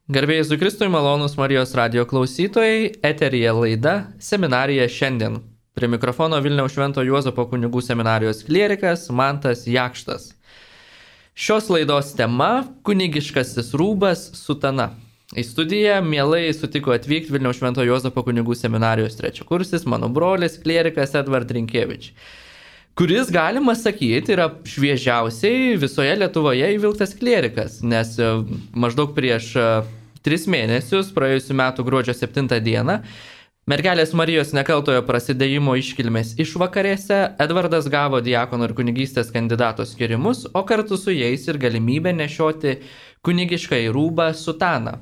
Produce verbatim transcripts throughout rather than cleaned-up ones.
Garbėjai Jėzui Kristui, malonūs Marijos radio klausytojai, eteryje laida Seminarija šiandien. Prie mikrofono Vilniaus Švento Juozapo kunigų seminarijos klierikas Mantas Jakštas. Šios laidos tema – kunigiškasis rūbas sutana. Į studiją mielai sutiko atvykti Vilniaus Švento Juozapo kunigų seminarijos trečiakursis, mano brolis, klierikas Edvard Rinkevič, kuris, galima sakyti, yra šviežiausiai visoje Lietuvoje įvilktas klierikas, nes maždaug prieš tris mėnesius, praėjusiu metu gruodžio septintą dieną, Mergelės Marijos nekaltojo prasidėjimo iškilmės išvakarėse Edvardas gavo diakono ir kunigystės kandidato skirimus, o kartu su jais ir galimybę nešioti kunigiškąjį rūbą sutaną.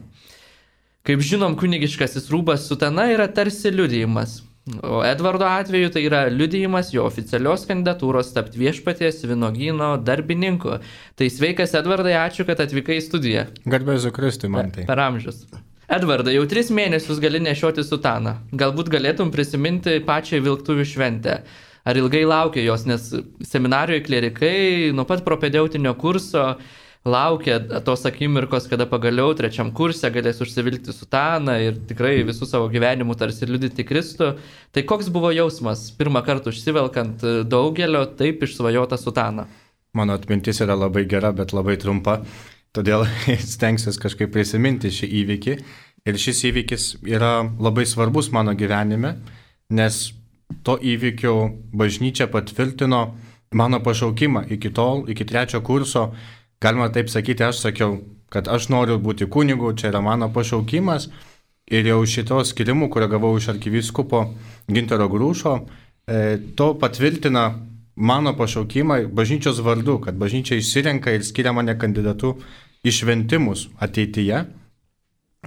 Kaip žinom, kunigiškasis rūbas sutana yra tarsi liudijimas. O Edvardo atveju tai yra liudijimas jo oficialios kandidatūros tapti viešpaties vynuogyno darbininku. Tai sveikas, Edvardai, ačiū, kad atvykai į studiją. Garbė Jėzui Kristui, Mantai. Per amžius. Edvardai, jau tris mėnesius gali nešioti sutaną. Galbūt galėtum prisiminti pačią vilktuvių šventę. Ar ilgai laukia jos, nes seminarijoje klierikai nuo pat propedeutinio kurso laukia tos akimirkos, kada pagaliau trečiam kurse galės užsivilkti sutaną ir tikrai visų savo gyvenimų tarsi liudyti Kristų. Tai koks buvo jausmas pirmą kartą užsivelkant daugelio taip išsvajotą sutaną? Mano atmintis yra labai gera, bet labai trumpa, todėl stengsiuosi kažkaip prisiminti šį įvykį. Ir šis įvykis yra labai svarbus mano gyvenime, nes to įvykio bažnyčia patvirtino mano pašaukimą iki tol, iki trečio kurso. Galima taip sakyti, aš sakiau, kad aš noriu būti kunigu, čia yra mano pašaukimas. Ir jau šito skirimu, kurio gavau iš arkivyskupo Gintaro Grūšo, e, to patvirtina mano pašaukimą bažnyčios vardu, kad bažnyčia išsirenka ir skiria mane kandidatu į šventimus ateityje.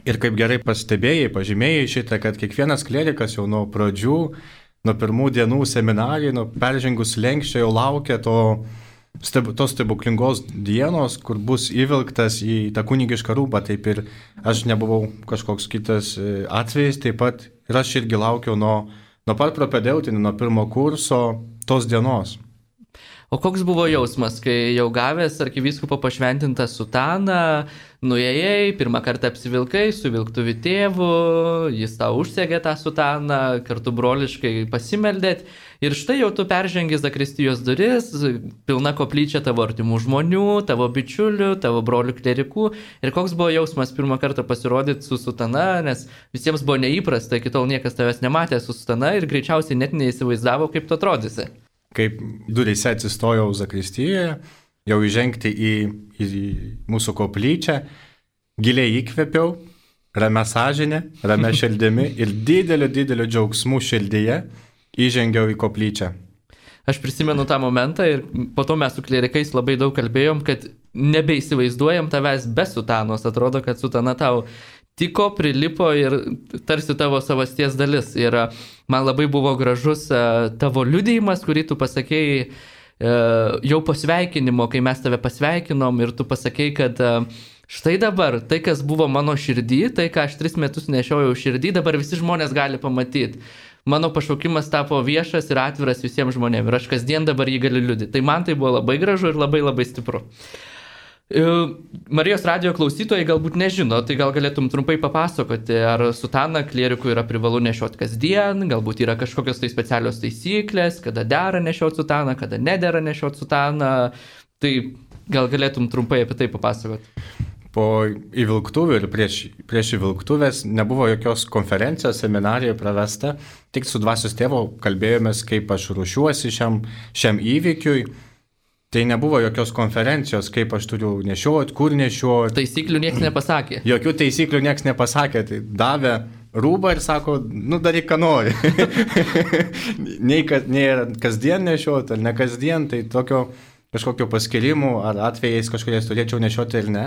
Ir kaip gerai pastebėjai, pažymėjai šitą, kad kiekvienas klierikas jau nuo pradžių, nuo pirmų dienų seminarijai, nuo peržengus lenkščio jau laukia to tos stebuklingos dienos, kur bus įvilktas į tą kunigišką rūbą. Taip ir aš nebuvau kažkoks kitas atvejis, taip pat ir aš irgi laukiau nuo, nuo pat propedeutinio, nuo pirmo kurso tos dienos. O koks buvo jausmas, kai jau gavęs arkivyskupo pašventintą sutaną, nuėjai, pirmą kartą apsivilkai su vilktuvių tėvu, jis tau užsegė tą sutaną, kartu broliškai pasimeldėt ir štai jau tu peržengi zakristijos duris, pilna koplyčia tavo artimų žmonių, tavo bičiulių, tavo brolių klerikų. Ir koks buvo jausmas pirmą kartą pasirodyti su sutana, nes visiems buvo neįprasta, iki tol niekas tavęs nematė su sutana ir greičiausiai net neįsivaizdavo, kaip tu atrodysi. Kaip duryse atsistojau zakristijoje, jau įžengti į, į mūsų koplyčią, giliai įkvėpiau, ramia sąžinė, ramia širdimi ir dideliu, dideliu džiaugsmu širdyje įžengiau į koplyčią. Aš prisimenu tą momentą ir po to mes su klierikais labai daug kalbėjom, kad nebeįsivaizduojam tavęs be sutanos. Atrodo, kad sutana tau tiko, prilipo ir tarsi tavo savasties dalis. Ir man labai buvo gražus tavo liudijimas, kurį tu pasakėjai jau po sveikinimo, kai mes tave pasveikinom ir tu pasakėjai, kad štai dabar tai, kas buvo mano širdį, tai, ką aš tris metus nešiojau širdį, dabar visi žmonės gali pamatyti. Mano pašaukimas tapo viešas ir atviras visiems žmonėms ir aš kasdien dabar jį galiu liudyti. Tai man tai buvo labai gražu ir labai labai stipru. Marijos radio klausytojai galbūt nežino, tai gal galėtum trumpai papasakoti, ar sutaną klierikų yra privalu nešioti kasdien, galbūt yra kažkokios tai specialios taisyklės, kada dera nešioti sutaną, kada nedera nešioti sutaną. Tai gal galėtum trumpai apie tai papasakoti. Po įvilktuvių ir prieš, prieš įvilktuvės nebuvo jokios konferencijos, seminarijoje pravesta, tik su dvasios tėvo kalbėjomės, kaip aš ruošiuosi šiam, šiam įvykiui. Tai nebuvo jokios konferencijos, kaip aš turiu nešiuoti, kur nešiuoti. Taisyklių niekas nepasakė. Jokių taisyklių niekas nepasakė. Tai davė rūbą ir sako, nu daryk, ką nori. nei, kad, nei kasdien nešiuoti, ar ne kasdien, tai tokio kažkokio paskirimų ar atvejais kažkokiais turėčiau nešiuoti ir ne.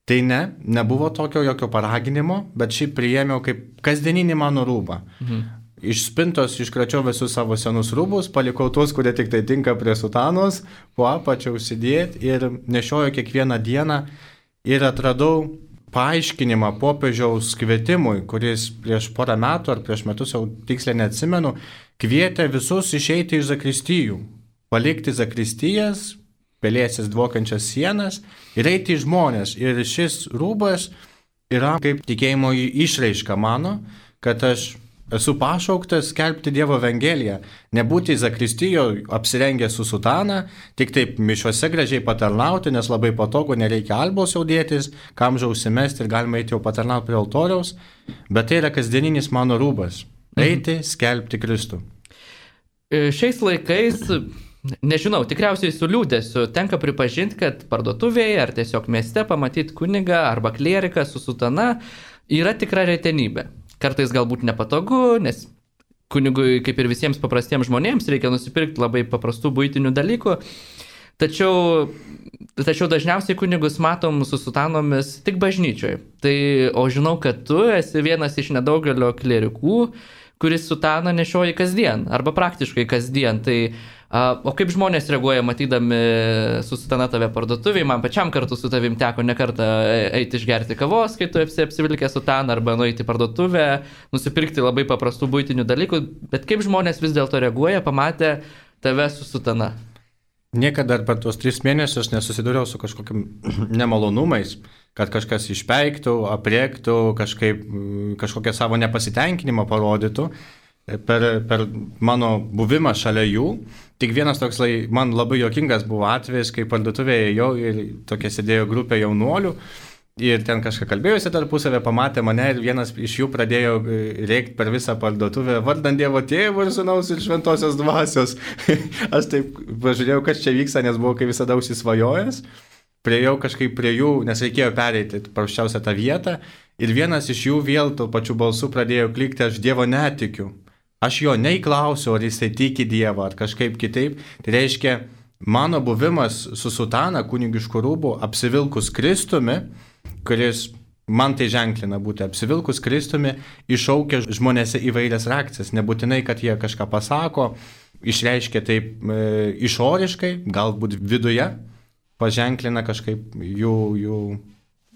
Tai ne, nebuvo tokio jokio paraginimo, bet šiaip priėmiau kaip kasdieninį mano rūbą. Mhm. Iš spintos iškračiau visus savo senus rūbus, palikau tuos, kurie tik tai tinka prie sutanos, po apačią užsidėti ir nešioju kiekvieną dieną ir atradau paaiškinimą popiežiaus kvietimui, kuris prieš porą metų ar prieš metus, jau tiksliai neatsimenu, kvietė visus išeiti iš zakristijų, palikti zakristijas, pelėsis dvokiančias sienas ir eiti į žmonės. Ir šis rūbas yra kaip tikėjimo išraiška mano, kad aš esu pašauktas skelbti Dievo Evangeliją, nebūti zakristijoje apsirengę su sutana, tik taip mišiuose gražiai patarnauti, nes labai patogu, nereikia albos jau dėtis, kamžą užsimesti ir galima eiti jau patarnauti prie altoriaus, bet tai yra kasdieninis mano rūbas - eiti, skelbti Kristų. Šiais laikais, nežinau, tikriausiai su liūdėsiu, tenka pripažinti, kad parduotuvėje ar tiesiog mieste pamatyti kunigą arba klieriką su sutana yra tikra retenybė. Kartais galbūt nepatogu, nes kunigui, kaip ir visiems paprastiems žmonėms, reikia nusipirkti labai paprastų buitinių dalykų. Tačiau, tačiau dažniausiai kunigus matom su sutanomis tik bažnyčioje. Tai, o žinau, kad tu esi vienas iš nedaugelio klierikų, kuris sutaną nešioja kasdien, arba praktiškai kasdien. Tai, a, o kaip žmonės reaguoja matydami su sutana tave parduotuviai, man pačiam kartu su tavim teko ne kartą eiti išgerti kavos, kai tu esi apsivilkęs sutaną, arba nueiti į parduotuvę, nusipirkti labai paprastų buitinių dalykų, bet kaip žmonės vis dėlto reaguoja, pamatę tave su sutana? Niekada per tuos tris mėnesius nesusidūriau su kažkokiam nemalonumais, kad kažkas išpeiktų, apriektų, kažkaip, kažkokią savo nepasitenkinimą parodytų per, per mano buvimą šalia jų. Tik vienas toks man labai juokingas buvo atvejis, kai parduotuvėje ėjau ir tokia sėdėjo grupė jaunuolių ir ten kažką kalbėjusi tarpusavę, pamatė mane ir vienas iš jų pradėjo rėkti per visą parduotuvę vardant Dievo Tėvo ir Sūnaus ir Šventosios Dvasios. Aš taip pažiūrėjau, kas čia vyksta, nes buvau kaip visada užsisvajojęs. Priejau kažkaip prie jų, nes reikėjo pereiti paprasčiausią tą vietą ir vienas iš jų vėl tuo pačiu balsu pradėjo klikti, aš Dievo netikiu. Aš jo neįklausiu, ar jisai tiki Dievą, ar kažkaip kitaip. Tai reiškia, mano buvimas su sutana kunigišku rūbu, apsivilkus Kristumi, kuris man tai ženklina būti apsivilkus Kristumi, iššaukia žmonėse įvairias reakcijas. Nebūtinai, kad jie kažką pasako, išreiškia taip e, išoriškai, galbūt viduje, paženklina kažkaip jų, jų,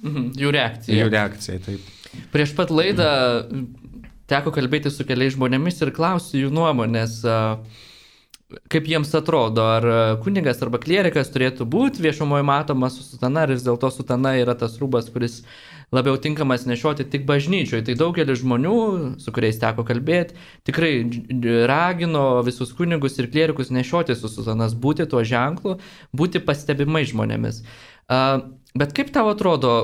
mhm, jų reakciją. Jų reakciją, taip. Prieš pat laidą teko kalbėti su keliais žmonėmis ir klausti jų nuomonės, kaip jiems atrodo, ar kunigas arba klierikas turėtų būti viešumoje matomas su sutana, ar vis dėlto sutana yra tas rūbas, kuris labiau tinkamas nešioti tik bažnyčioje. Tai daugelis žmonių, su kuriais teko kalbėti, tikrai ragino visus kunigus ir klierikus nešioti su sutanas, būti tuo ženklu, būti pastebimai žmonėmis. Bet kaip tau atrodo,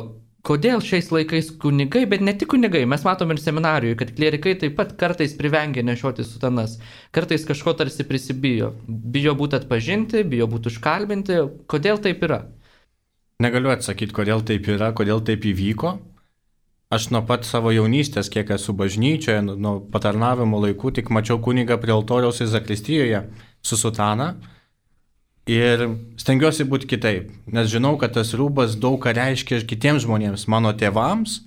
kodėl šiais laikais kunigai, bet ne tik kunigai, mes matom ir seminarijoje, kad klierikai taip pat kartais privengia nešioti sutanas, kartais kažko tarsi prisibijo, bijo būti atpažinti, bijo būti užkalbinti, kodėl taip yra? Negaliu atsakyti, kodėl taip yra, kodėl taip įvyko. Aš nuo pat savo jaunystės, kiek esu bažnyčioje, nuo patarnavimo laikų, tik mačiau kunigą prie altoriaus ir zakristijoje su sutana. Ir stengiuosi būti kitaip, nes žinau, kad tas rūbas daug ką reiškia kitiems žmonėms, mano tėvams.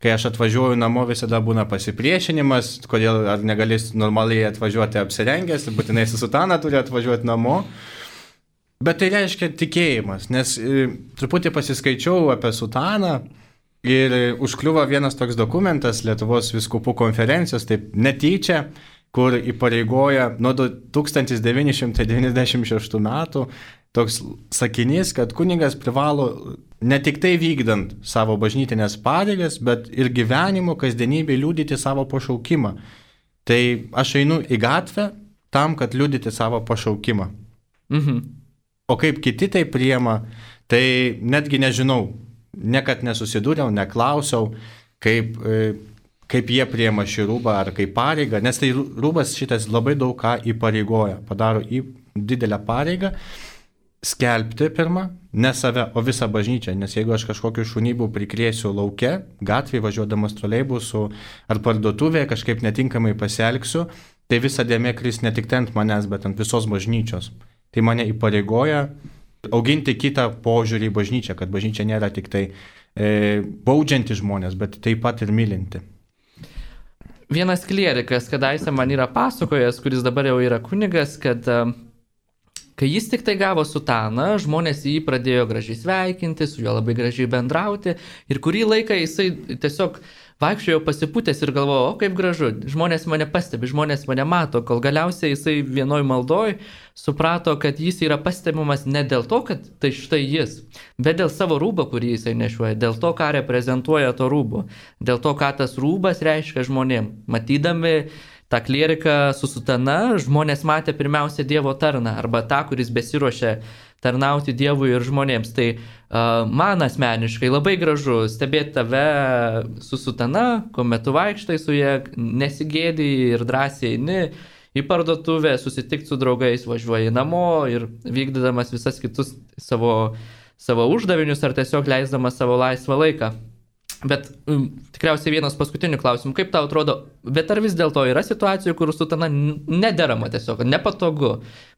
Kai aš atvažiuoju namo, visada būna pasipriešinimas, kodėl ar negalės normaliai atvažiuoti apsirengęs, būtinai su sutana turi atvažiuoti namo. Bet tai reiškia tikėjimas, nes e, truputį pasiskaičiau apie sutaną ir e, užkliuvo vienas toks dokumentas Lietuvos vyskupų konferencijos, taip netyčia, kur įpareigoja nuo tūkstantis devyni šimtai devyniasdešimt šeštų metų toks sakinys, kad kunigas privalo ne tik tai vykdant savo bažnytinės pareigas, bet ir gyvenimo kasdienybėje liudyti savo pašaukimą. Tai aš einu į gatvę tam, kad liudyti savo pašaukimą. Mhm. O kaip kiti tai priema, tai netgi nežinau, niekad nesusidūriau, neklausiau, kaip, kaip jie priema šį rūbą ar kaip pareigą, nes tai rūbas šitas labai daug ką įpareigoja, padaro į didelę pareigą, skelbti pirmą, ne save, o visą bažnyčią, nes jeigu aš kažkokiu šunybų prikrėsiu lauke, gatvėje važiuodamas troleibusu ar parduotuvėje kažkaip netinkamai pasielgsiu, tai visa dėmė kris ne tik ant manęs, bet ant visos bažnyčios. Tai mane įpareigoja auginti kitą požiūrį į bažnyčią, kad bažnyčia nėra tik tai e, baudžianti žmonės, bet taip pat ir mylinti. Vienas klierikas, kadaise man yra pasakojęs, kuris dabar jau yra kunigas, kad kai jis tik tai gavo sutaną, žmonės jį pradėjo gražiai sveikinti, su juo labai gražiai bendrauti ir kurį laiką jisai tiesiog vaikščiojo pasipūtęs ir galvojo, o kaip gražu, žmonės mane pastebi, žmonės mane mato, kol galiausiai jisai vienoj maldoj suprato, kad jis yra pastebimas ne dėl to, kad tai štai jis, bet dėl savo rūbo, kurį jisai nešuoja, dėl to, ką reprezentuoja to rūbo, dėl to, ką tas rūbas reiškia žmonėm. Matydami tą klieriką su sutana, žmonės matė pirmiausia Dievo tarną arba tą, kuris besiruošia tarnauti Dievui ir žmonėms. Tai uh, man asmeniškai labai gražu stebėti tave su sutana, kuomet tu vaikštai su jie, nesigėdi ir drąsiai eini į parduotuvę, susitikti su draugais, važiuoji namo ir vykdydamas visas kitus savo, savo uždavinius ar tiesiog leisdamas savo laisvą laiką. Bet um, tikriausiai vienas paskutinių klausimų, kaip tau atrodo, bet ar vis dėlto yra situacijų, kur sutana nederama tiesiog, nepatogu,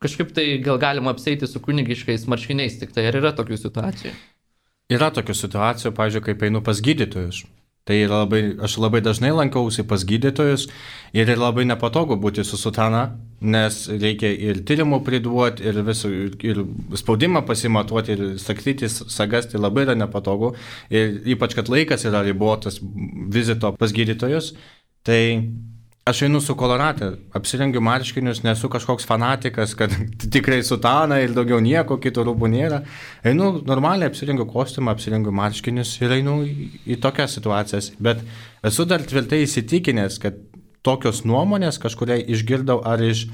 kažkaip tai gal galima apseiti su kunigiškais marškiniais, tik tai ar yra tokių situacijų? Yra tokių situacijų, pavyzdžiui, kaip einu pas gydytojus. Tai yra labai, aš labai dažnai lankausi pas gydytojus ir yra labai nepatogu būti su sutana, nes reikia ir tyrimų priduoti, ir, visų, ir spaudimą pasimatuoti, ir sakyti sagas, tai labai yra nepatogu. Ir ypač, kad laikas yra ribotas vizito pas gydytojus, tai aš einu su koloratė, apsirengiu marškinius, nesu kažkoks fanatikas, kad tikrai sutana ir daugiau nieko, kito rūbų nėra. Einu normaliai, apsirengiu kostiumą, apsirengiu marškinius ir einu į, į tokias situacijas. Bet esu dar tvirtai įsitikinęs, kad tokios nuomonės kažkuria išgirdau ar iš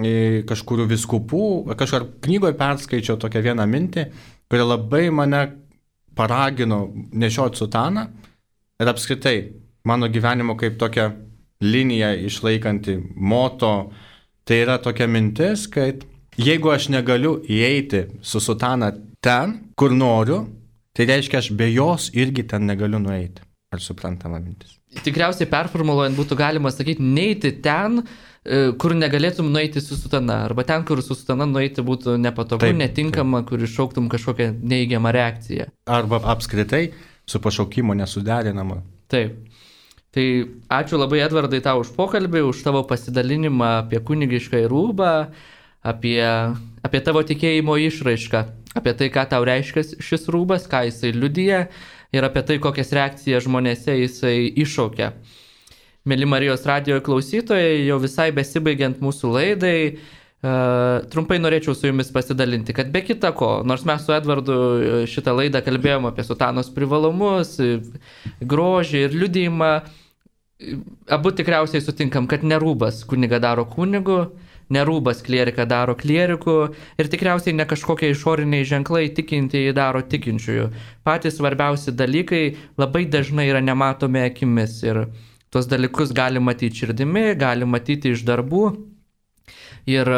e, kažkurių viskupų, kažkur knygoje perskaičiau tokią vieną mintį, kuri labai mane paragino nešioti sutaną ir apskritai mano gyvenimo kaip tokia linija išlaikanti moto, tai yra tokia mintis, kad jeigu aš negaliu įeiti su sutana ten, kur noriu, tai reiškia, aš be jos irgi ten negaliu nueiti. Ar suprantama mintis? Tikriausiai performuluojant būtų galima sakyti, neiti ten, kur negalėtum nueiti su sutana, arba ten, kur su sutana nueiti būtų nepatogu, taip, netinkama, taip. Kur iššauktum kažkokią neįgiamą reakciją. Arba apskritai su pašaukimu nesuderinama. Taip. Tai ačiū labai, Edvardai, tau už pokalbį, už tavo pasidalinimą apie kunigišką rūbą, apie, apie tavo tikėjimo išraišką, apie tai, ką tau reiškia šis rūbas, ką jisai liudija ir apie tai, kokias reakcijas žmonėse jisai iššaukia. Mėly Marijos radijo klausytojai, jau visai besibaigiant mūsų laidai, uh, trumpai norėčiau su jumis pasidalinti, kad be kita ko, nors mes su Edvardu šitą laidą kalbėjom apie sutanos privalumus, grožį ir liudijimą, abu tikriausiai sutinkam, kad nerūbas kuniga daro kunigu, nerūbas klierika daro klieriku ir tikriausiai ne kažkokie išoriniai ženklai tikintieji daro tikinčiųjų. Patys svarbiausi dalykai labai dažnai yra nematomi akimis ir tuos dalykus gali matyti širdimi, gali matyti iš darbų. Ir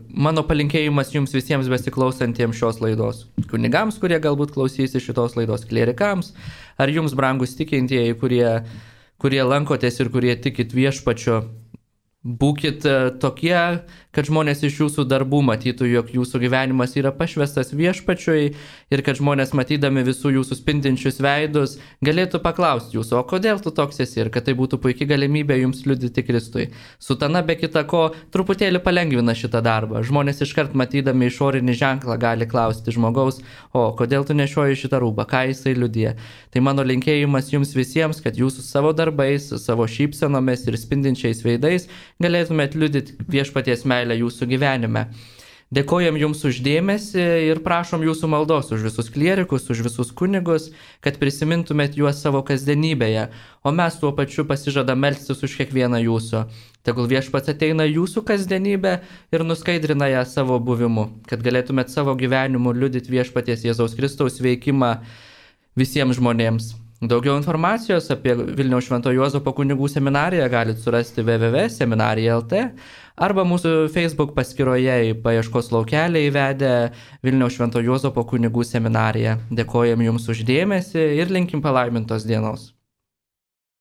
mano palinkėjimas jums visiems besiklausantiems šios laidos. Kunigams, kurie galbūt klausysi šitos laidos, klierikams, ar jums brangus tikintieji, kurie kurie lankotės ir kurie tikit viešpačiu, būkit tokie, kad žmonės iš jūsų darbų matytų, jog jūsų gyvenimas yra pašvestas viešpačiui ir kad žmonės matydami visų jūsų spindinčius veidus galėtų paklausti jūsų, o kodėl tu toks esi ir kad tai būtų puikia galimybė jums liudyti Kristui. Sutana be kita ko truputėlį palengvina šitą darbą. Žmonės iškart matydami išorinį ženklą gali klausti žmogaus, o kodėl tu nešioji šitą rūbą, ką jisai liudija. Tai mano linkėjimas jums visiems, kad jūsų savo darbais, savo šypsenomis ir spindinčiais veidais galėtumėt liudyti viešpaties meilę jūsų gyvenime. Dėkojam jums uždėmesį ir prašom jūsų maldos už visus klierikus, už visus kunigus, kad prisimintumėt juos savo kasdienybėje, o mes tuo pačiu pasižadam melstis už kiekvieną jūsų. Tegul viešpats ateina jūsų kasdienybę ir nuskaidrina ją savo buvimu, kad galėtumėt savo gyvenimu liudyti viešpaties Jėzaus Kristaus veikimą visiems žmonėms. Daugiau informacijos apie Vilniaus Švento Juozapo kunigų seminariją galite surasti w w w taškas seminarija taškas l t arba mūsų Facebook paskyroje į paieškos laukelį įvedę Vilniaus Švento Juozapo kunigų seminariją. Dėkojam jums uždėmesį ir linkim palaimintos dienos.